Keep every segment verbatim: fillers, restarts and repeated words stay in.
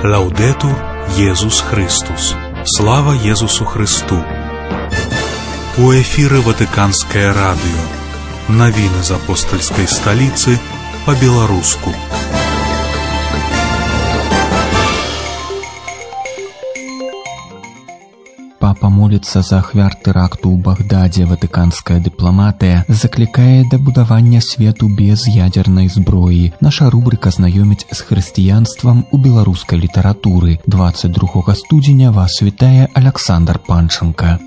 Лаўдетур Єсус Христос. Слава Єсусу Христу. У эфіры Ватыканскае радыё. Навіны з апостальскай сталіцы па-беларуску. Папа моліцца за ахвяр тэракту ў Багдадзе. Ватыканская дыпламатыя заклікае да будавання свету без ядзернай зброі. Наша рубрыка знаёміць з хрысціянствам у беларускай літаратуры. дваццаць другога студзеня вас вітае Аляксандр Панченка.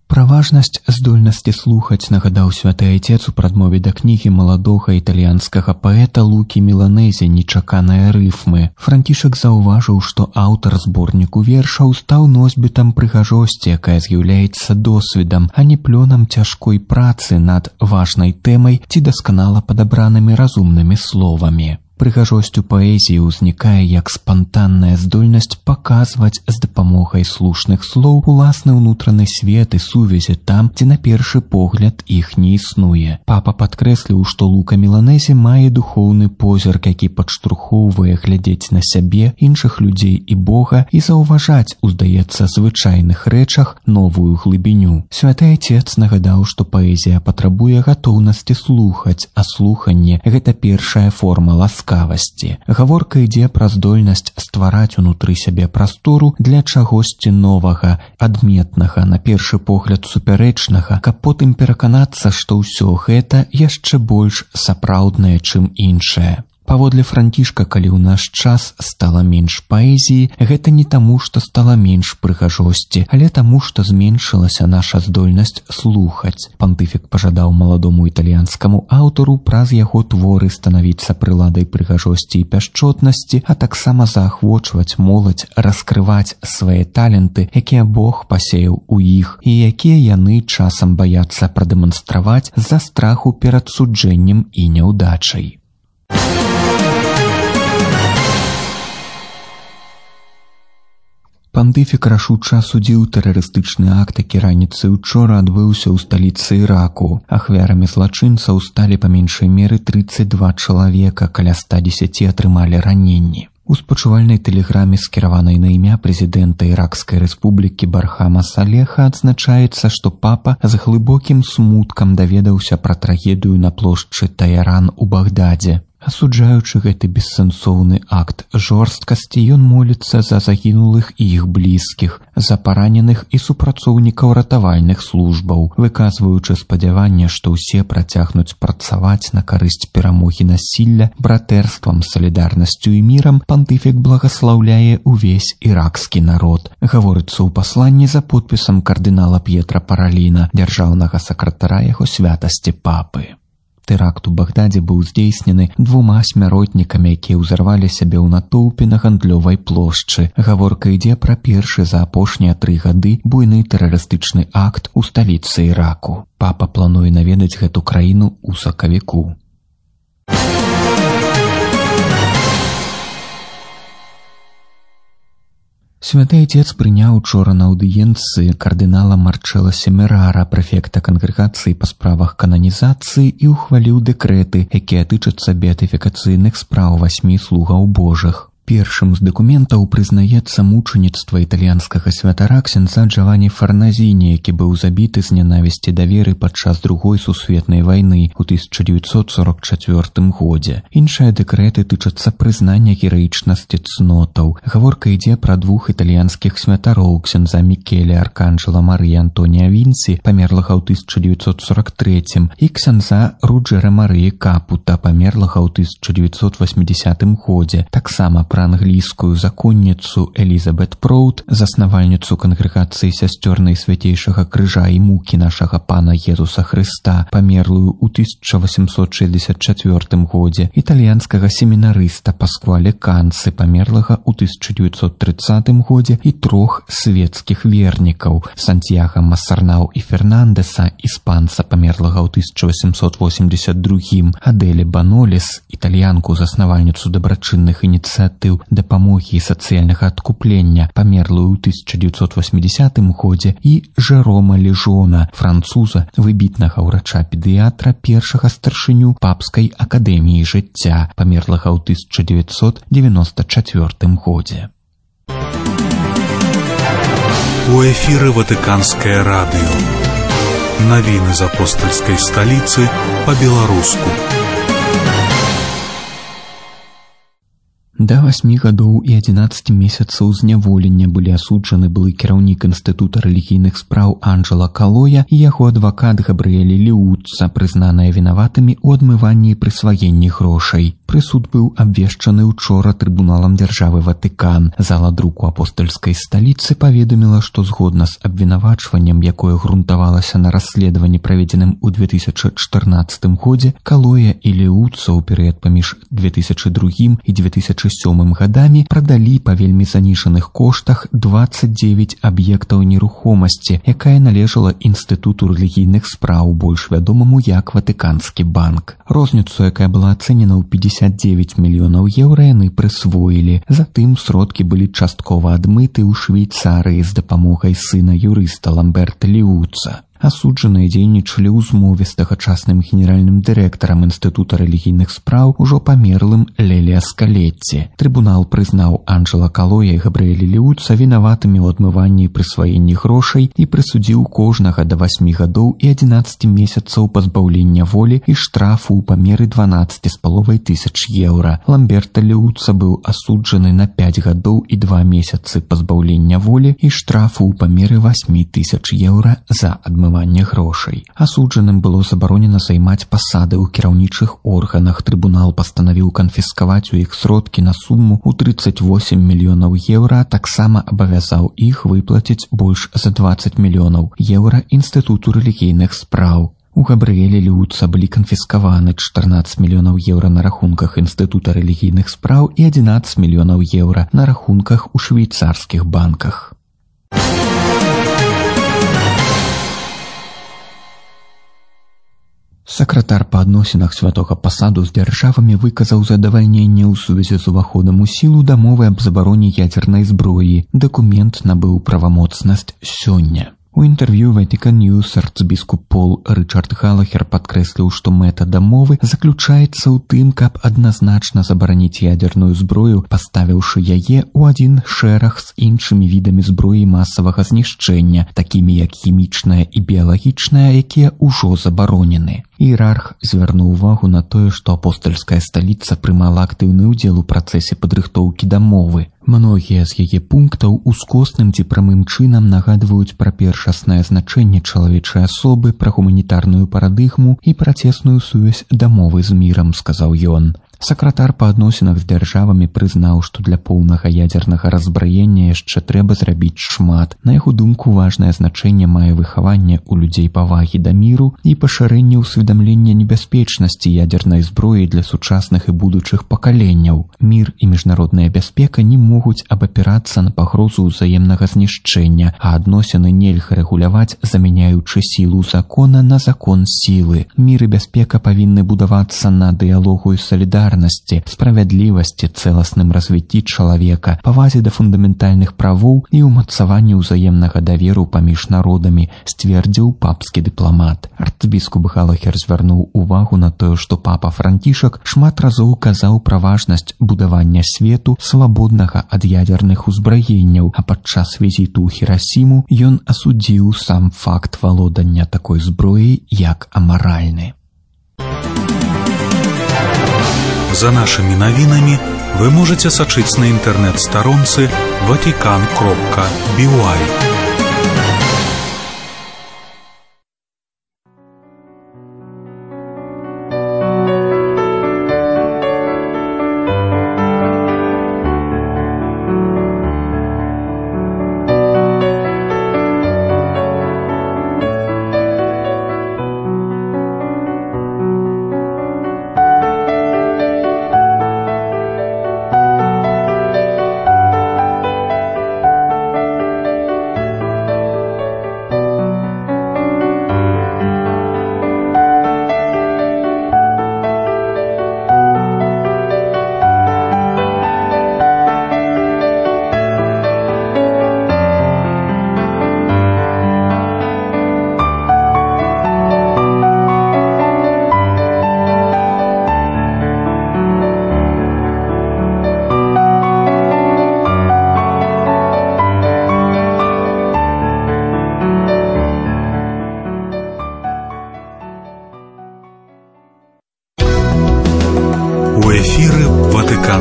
Пра важнасць здольнасці слухаць нагадаў святы айцец у прадмове да кнігі маладога італьянскага паэта Лукі Міланезе «Нечаканыя рыфмы». Францішак заўважыў, што аўтар зборніку вершаў стаў носьбітам прыгажосці, якая з'яўляецца досведам, а не плёнам цяжкой працы над важнай тэмай ці дасканала падабранымі разумнымі словамі. Прыгажосць у паэзіі ўзнікае як спантанная здольнасць паказваць з дапамогай слушных слоў уласны ўнутраны свет і сувязі там, дзе на першы погляд іх не існуе. Папа падкрэсліў, што Лука Міланезе мае духоўны позірк, які падштурхоўвае глядзець на сябе, іншых людзей і Бога і заўважаць у, здаецца, звычайных рэчах новую глыбіню. Святы айцец нагадаў, што паэзія патрабуе гатоўнасці слухаць, а слуханне – гэта першая форма ласкавасці. Гаворка ідзе пра здольнасць ствараць унутры сябе прастору для чагосьці новага, адметнага, на першы погляд супярэчнага, каб потым пераканацца, што ўсё гэта яшчэ больш сапраўднае, чым іншае. Паводле Францішка, калі ў наш час стала менш паэзіі, гэта не таму, што стала менш прыгажосці, але таму, што зменшылася наша здольнасць слухаць. Пантыфік пажадаў маладому італьянскаму аўтару праз яго творы станавіцца прыладай прыгажосці і пяшчотнасці, а таксама заахвочваць моладзь раскрываць свае таленты, якія Бог пасеяў у іх і якія яны часам баяцца прадэманстраваць з-за страху перад суджэннем і няўдачай. Пантыфік рашуча асудзіў тэрарыстычны акт, які раніцай учора адбыўся ў сталіцы Іраку. Ахвярамі злачынцаў сталі па меншай меры трыццаць два чалавека, каля ста дзесяці атрымалі раненні. У спачувальнай тэлеграме, скіраванай на імя прэзідэнта Іракскай рэспублікі Бархама Салеха, адзначаецца, што папа з глыбокім смуткам даведаўся пра трагедыю на плошчы Таяран у Багдадзе. Асуджаючы гэты бессэнсоўны акт жорсткасці, ён моліцца за загінулых і іх блізкіх, за параненых і супрацоўнікаў ратавальных службаў, выказваючы спадзяванне, што ўсе працягнуць працаваць на карысць перамогі насілля братэрствам, салідарнасцю і мірам. Пантыфік благаслаўляе ўвесь іракскі народ. Гаворыцца ў пасланні за подпісам кардынала П'етра Параліна, дзяржаўнага сакратара яго святасці папы. Тэракт у Багдадзе быў здзейснены двума смяротнікамі, якія ўзарвалі сябе ў натоўпе на гандлёвай плошчы. Гаворка ідзе пра першы за апошнія тры гады буйны тэрарыстычны акт у сталіцы Іраку. Папа плануе наведаць гэту краіну ў сакавіку. Святы айцец прыняў учора на аўдыенцыі кардынала Марчэла Семерара, прэфекта кангрэгацыі па справах кананізацыі, і ўхваліў дэкрэты, якія тычацца беатыфікацыйных спраў васьмі слугаў Божых. Першым з дакументаў прызнаецца мучаніцтва італьянскага святара ксяндза Джавані Фарназіні, які быў забіты з нянавісці да веры падчас другой сусветнай вайны ў тысяча дзевяцьсот сорок чацвёртым годзе. Іншыя дэкрэты тычацца прызнання гераічнасці цнотаў. Гаворка ідзе пра двух італьянскіх святароў, ксяндза Мікеле Арканджела Марыя Антонія Вінці, памерлага ў тысяча дзевяцьсот сорок трэцім, і ксяндза Руджэра Марыі Капута, памерлага ў тысяча дзевяцьсот васьмідзесятым годзе. Таксама пра англійскую законніцу Элізабет Проут, заснавальніцу кангрэгацыі сясцёр Найсвяцейшага крыжа і мукі нашага пана Езуса Хрыста, памерлую ў тысяча васемсот шэсцьдзесят чацвёртым годзе, італьянскага семінарыста Пасквале Канцы, памерлага ў тысяча дзевяцьсот трыццатым годзе, і трох свецкіх вернікаў Сантьяга Масарнау і Фернандэса, іспанца, памерлага ў тысяча васемсот восемьдесят другім, Адэле Банолес, італьянку, заснавальніцу дабрачынных ініцыятыў ініцыятыў дапамогі і сацыяльнага адкуплення, памерлую ў тысяча дзевяцьсот восьмідзясятым годзе, і Жерома Лежона, француза, выбітнага ўрача-педыятра, першага старшыню папскай акадэміі жыцця, памерлага ў тысяча дзевяцьсот девяносто чацвёртым годзе. У эфіры Ватыканскае радыё. Навіны з апостальскай сталіцы па-беларуску. Да васьмі гадоў і адзінаццаці месяцаў зняволення былі асуджаны былы кіраўнік Інстытута рэлігійных спраў Анджела Калоя і яго адвакат Габрыэль Леуца, прызнаныя вінаватымі ў адмыванні і прысваенні грошай. Прысуд быў абвешчаны учора трыбуналам дзяржавы Ватыкан. Зала друку апостальскай сталіцы паведаміла, што згодна з абвінавачваннем, якое грунтавалася на расследаванні, праведзеным у две тысячы чатырнаццатым годзе, Калоя і Леуца ў перыяд паміж две тысячы другім і две тысячы сёмым гадамі прадалі па вельмі занішаных коштах дваццаць дзевяць аб'ектаў нерухомасці, якая належала Інстытуту рэлігійных спраў, больш вядомаму як Ватыканскі банк. Розніцу, якая была ацэнена ў пятьдесят девять мільёнаў еўра, яны прысвоілі. Затым сродкі былі часткова адмыты ў Швейцарыі з дапамогай сына юрыста Ламберта Леуца. Асуджаныя дзейнічалі ў змове з тагачасным генеральным дырэктарам Інстытута рэлігійных спраў, ужо памерлым Леліа Скалетці. Трыбунал прызнаў Анджела Калоя і Габрыэля Леуца вінаватымі ў адмыванні і прысваенні грошай і прысудзіў кожнага да васьмі гадоў і адзінаццаці месяцаў пазбаўлення волі і штрафу ў памеры дванаццаць з паловай тысяч еўра. Ламберта Леуца быў асуджаны на пяць гадоў і два месяцы пазбаўлення волі і штрафу ў памеры васьмі тысяч еўра за адмыванне грошай. Асуджаным было забаронена займаць пасады ў кіраўнічых органах. Трыбунал пастанавіў канфіскаваць у іх сродкі на суму ў тридцать восемь мільёнаў еўра, таксама абавязаў іх выплаціць больш за двадцать мільёнаў еўра Інстытуту рэлігійных спраў. У Габрыэля Леуца былі канфіскаваны чатырнаццаць мільёнаў еўра на рахунках Інстытута рэлігійных спраў і адзінаццаць мільёнаў еўра на рахунках у швейцарскіх банках. Сакратар па адносінах святога пасаду з дзяржавамі выказаў задавальненне ў сувязі з уваходам у сілу дамовы аб забароне ядзернай зброі. Дакумент набыў правамоцнасць сёння. У інтэрв'ю Vatican News арцыбіскуп Пол Рычард Галахер падкрэсліў, што мэта дамовы заключаецца ў тым, каб адназначна забараніць ядзерную зброю, паставіўшы яе ў адзін шэраг з іншымі відамі зброі масавага знішчэння, такімі як хімічная і біялагічная, якія ўжо забаронены. Іерарх звярнуў увагу на тое, што апостальская сталіца прымала актыўны ўдзел у працэсе падрыхтоўкі дамовы. Многія з яе пунктаў ускосным ці прамым чынам нагадваюць пра першаснае значэнне чалавечай асобы, пра гуманітарную парадыгму і пра цесную сувязь дамовы з мірам, сказаў ён. Сакратар па адносінах з дзяржавамі прызнаў, што для поўнага ядзернага разбраення яшчэ трэба зрабіць шмат. На яго думку, важнае значэнне мае выхаванне ў людзей павагі да міру і пашырэнне ўсведамлення небяспечнасці ядзернай зброі для сучасных і будучых пакаленняў. Мір і міжнародная бяспека не могуць абапірацца на пагрозу ўзаемнага знішчэння, а адносіны нельга рэгуляваць, замяняючы сілу закона на закон сілы. Мір і бяспека павінны будавацца на дыялогу і салідарнасці, справядлівасці, цэласным развіцці чалавека, павазе да фундаментальных правоў і ўмацаванні ўзаемнага даверу паміж народамі, сцвердзіў папскі дыпламат. Арцыбіскуп Галахер звярнуў увагу на тое, што папа Францішак шмат разоў казаў пра важнасць будавання свету свабоднага ад ядзерных узбраенняў, а падчас візіту ў Хірасіму ён асудзіў сам факт валодання такой зброі як амаральны. За нашими навінамі вы можете сачыць на інтэрнэт-старонцы ватикан кропка би уай.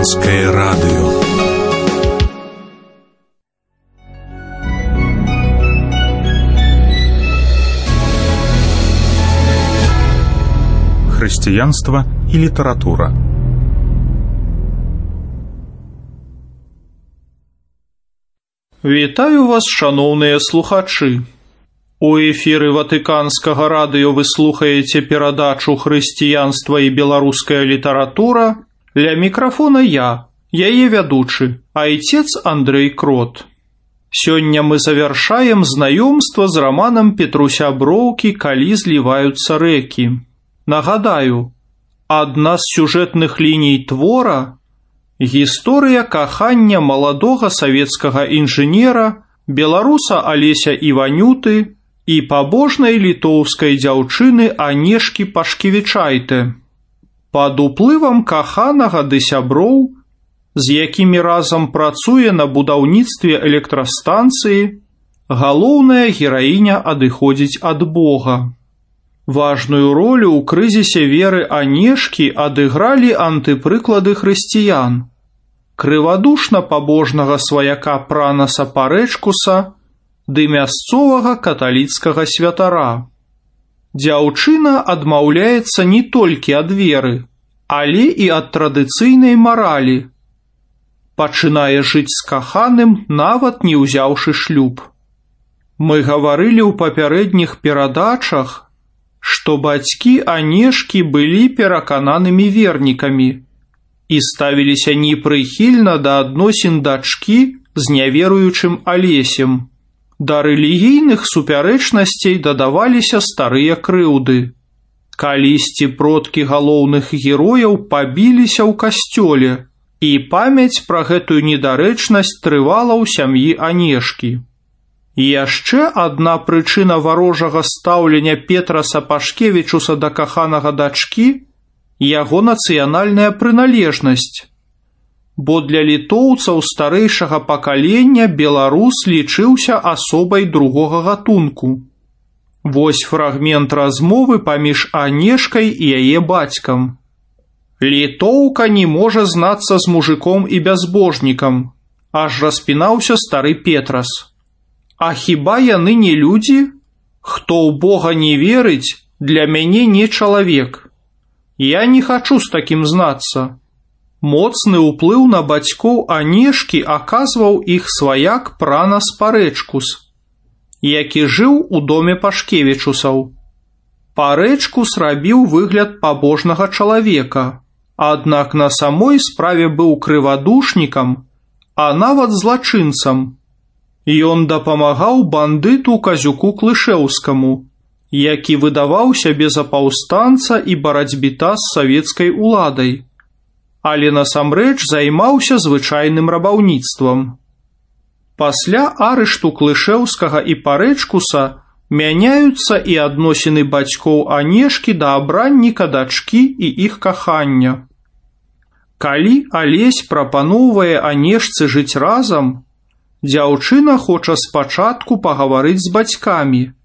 Ватиканское радио. Христианство и литература. Вітаю вас, шановныя слухачы. У эфіры Ватыканскага радыё вы слухаеце перадачу «Хрысціянства і беларуская літаратура». Ля мікрафона я, яе вядучы, айцец Андрэй Крот. Сёння мы завяршаем знаёмства з раманам Петруся Броўкі «Калі зліваюцца рэкі». Нагадаю, адна з сюжэтных ліній твора – гісторыя кахання маладога савецкага інжынера, беларуса Алеся Іванюты і пабожнай літоўскай дзяўчыны Анешкі Пашкевічайте. Пад уплывам каханага ды сяброў, з якімі разам працуе на будаўніцтве электрастанцыі, галоўная гераіня адыходзіць ад Бога. Важную ролю ў крызісе веры Анешкі адыгралі антыпрыклады хрысціян. Крывадушна пабожнага сваяка Пранаса Парэчкуса ды мясцовага каталіцкага святара. Дзяўчына адмаўляецца не толькі ад веры, але і ад традыцыйнай маралі. Пачынае жыць з каханым, нават не ўзяўшы шлюб. Мы гаварылі ў папярэдніх перадачах, што бацькі Анешкі былі перакананымі вернікамі і ставіліся непрыхільна да адносін дачкі з няверуючым Алесем. Да рэлігійных супярэчнасцей дадаваліся старыя крыўды. Калісьці продкі галоўных герояў пабіліся ў касцёле, і памяць пра гэтую недарэчнасць трывала ў сям'і Анешкі. Яшчэ адна прычына варожага стаўлення Петраса Пашкевічуса да каханага дачкі – яго нацыянальная прыналежнасць. Бо для літоўцаў старэйшага пакалення беларус лічыўся асобай другога гатунку. Вось фрагмент размовы паміж Анешкай і яе бацькам. «Літоўка не можа знацца з мужиком і бязбожнікам», аж распінаўся стары Петрас. «А хіба яны не людзі? Хто ў Бога не верыць, для мяне не чалавек. Я не хачу з такім знацца». Моцны ўплыў на бацькоў Анешкі аказваў іх сваяк Пранас Парэчкус, які жыў у доме Пашкевічусаў. Парэчкус рабіў выгляд пабожнага чалавека, аднак на самой справе быў крывадушнікам, а нават злачынцам. Ён дапамагаў бандыту Казюку Клышэўскаму, які выдаваў сябе за паўстанца і барацьбіта з савецкай уладай, але насамрэч займаўся звычайным рабаўніцтвам. Пасля арышту Клышэўскага і Парэчкуса мяняюцца і адносіны бацькоў Анешкі да абранніка дачкі і іх кахання. Калі Алесь прапаноўвае Анешцы жыць разам, дзяўчына хоча спачатку пагаварыць з бацькамі,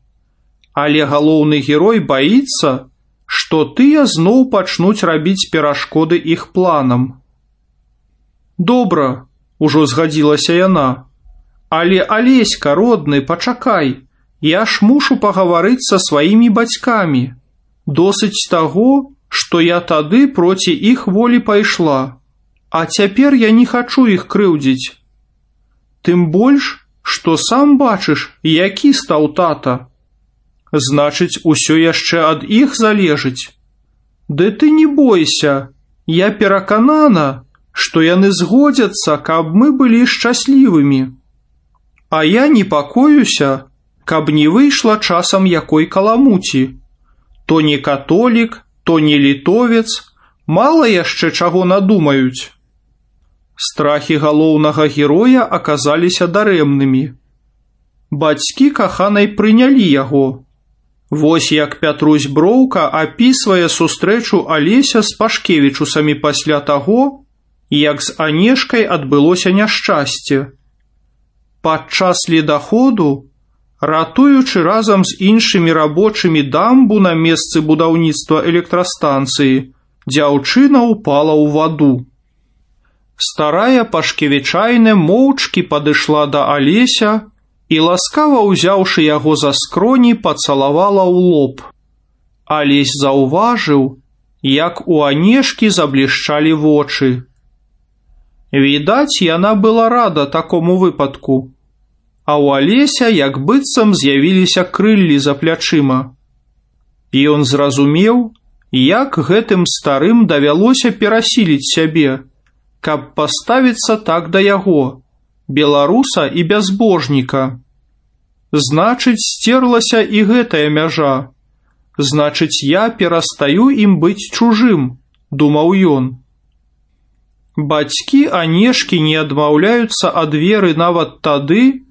але галоўны герой баіцца, што тыя зноў пачнуць рабіць перашкоды іх планам. «Добра», – ужо згадзілася яна, «але, Алеська, родны, пачакай, я ж мушу пагаварыць са сваімі бацькамі. Досыць таго, што я тады проці іх волі пайшла, а цяпер я не хачу іх крыўдзіць. Тым больш, што сам бачыш, які стаў тата. Значыць, усё яшчэ ад іх залежыць. Ды ты не бойся, я пераканана, што яны згодзяцца, каб мы былі шчаслівымі. А я непакоюся, каб не выйшла часам якой каламуці. То не католік, то не літовец, мала яшчэ чаго надумаюць». Страхі галоўнага героя аказаліся дарэмнымі. Бацькі каханай прынялі яго. Вось як Пятрусь Броўка апісвае сустрэчу Алеся з Пашкевічусамі пасля таго, як з Анешкай адбылося няшчасце. Падчас ледаходу, ратуючы разам з іншымі рабочымі дамбу на месцы будаўніцтва электрастанцыі, дзяўчына ўпала ў ваду. Старая Пашкевічайна моўчкі падышла да Алеся і, ласкава ўзяўшы яго за скроні, пацалавала ў лоб. Алесь заўважыў, як у Анешкі заблішчалі вочы. Відаць, яна была рада такому выпадку, а ў Алеся як быццам з'явіліся крыллі за плячыма. І ён зразумеў, як гэтым старым давялося перасіліць сябе, каб паставіцца так да яго, беларуса і бязбожніка. Значыць, сцерлася і гэтая мяжа. Значыць, я перастаю ім быць чужым, думаў ён. Бацькі Анешкі не адмаўляюцца ад веры нават тады,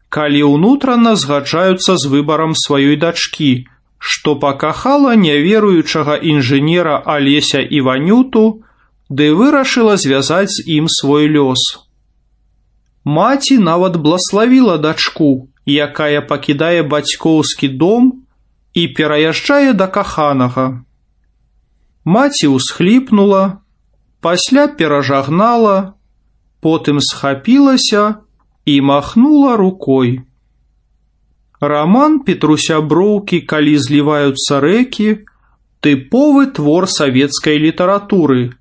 калі ўнутрана згаджаюцца з выбарам сваёй дачкі, што пакахала няверуючага інжынера Алеся Іванюту, ды вырашыла звязаць з ім свой лёс. Маці нават блаславіла дачку, якая пакідае бацькоўскі дом і пераязджае да каханага. Маці ўсхліпнула, пасля перажагнала, потым схапілася і махнула рукой. Раман Петруся Броўкі «Калі зліваюцца рэкі» – тыповы твор савецкай літаратуры,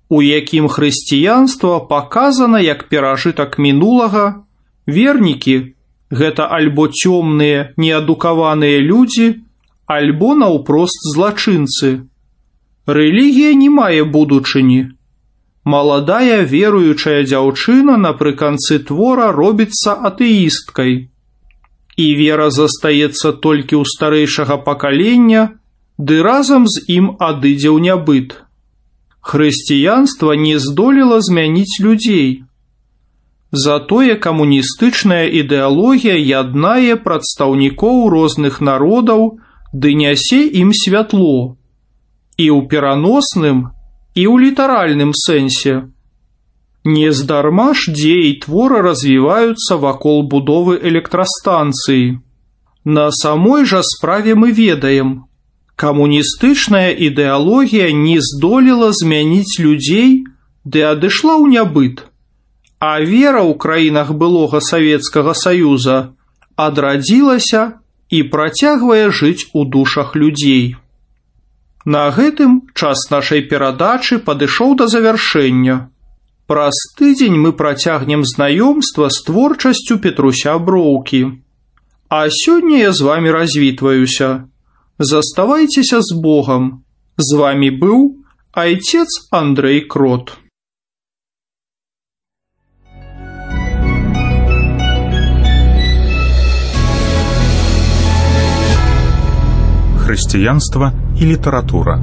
у якім хрысціянства паказана як перажытак мінулага, вернікі – гэта альбо цёмныя, неадукаваныя людзі, альбо наўпрост злачынцы. Рэлігія не мае будучыні. Маладая веруючая дзяўчына напрыканцы твора робіцца атэісткай. І вера застаецца толькі ў старэйшага пакалення, ды разам з ім адыдзе ў нябыт. Хрысціянства не здолела змяніць людзей. Затое камуністычная ідэалогія яднае прадстаўнікоў розных народаў ды нясе ім святло. І ў пераносным, і ў літаральным сэнсе. Нездарма ж дзеі твора развіваюцца вакол будовы электрастанцыі. На самой жа справе мы ведаем, камуністычная ідэалогія не здолела змяніць людзей, ды адышла ў нябыт, а вера ў краінах былога Савецкага Саюза адрадзілася і працягвае жыць у душах людзей. На гэтым час нашай перадачы падышоў да завяршэння. Праз тыдзень мы працягнем знаёмства з творчасцю Петруся Броўкі. А сёння я з вамі развітваюся. Заставайцеся з Богам. З вамі быў айцец Андрэй Крот. Хрысціянства і літаратура.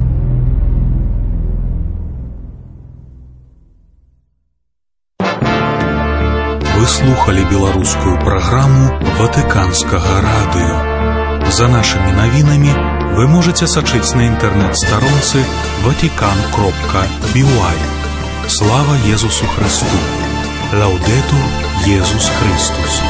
Вы слухали беларускую праграму Ватыканскага радыё. За нашымі навінамі вы можаце сачыць на інтэрнэт-старонцы ватикан кропка би уай. Слава Езусу Христу! Лаўдэтур Езус Христус!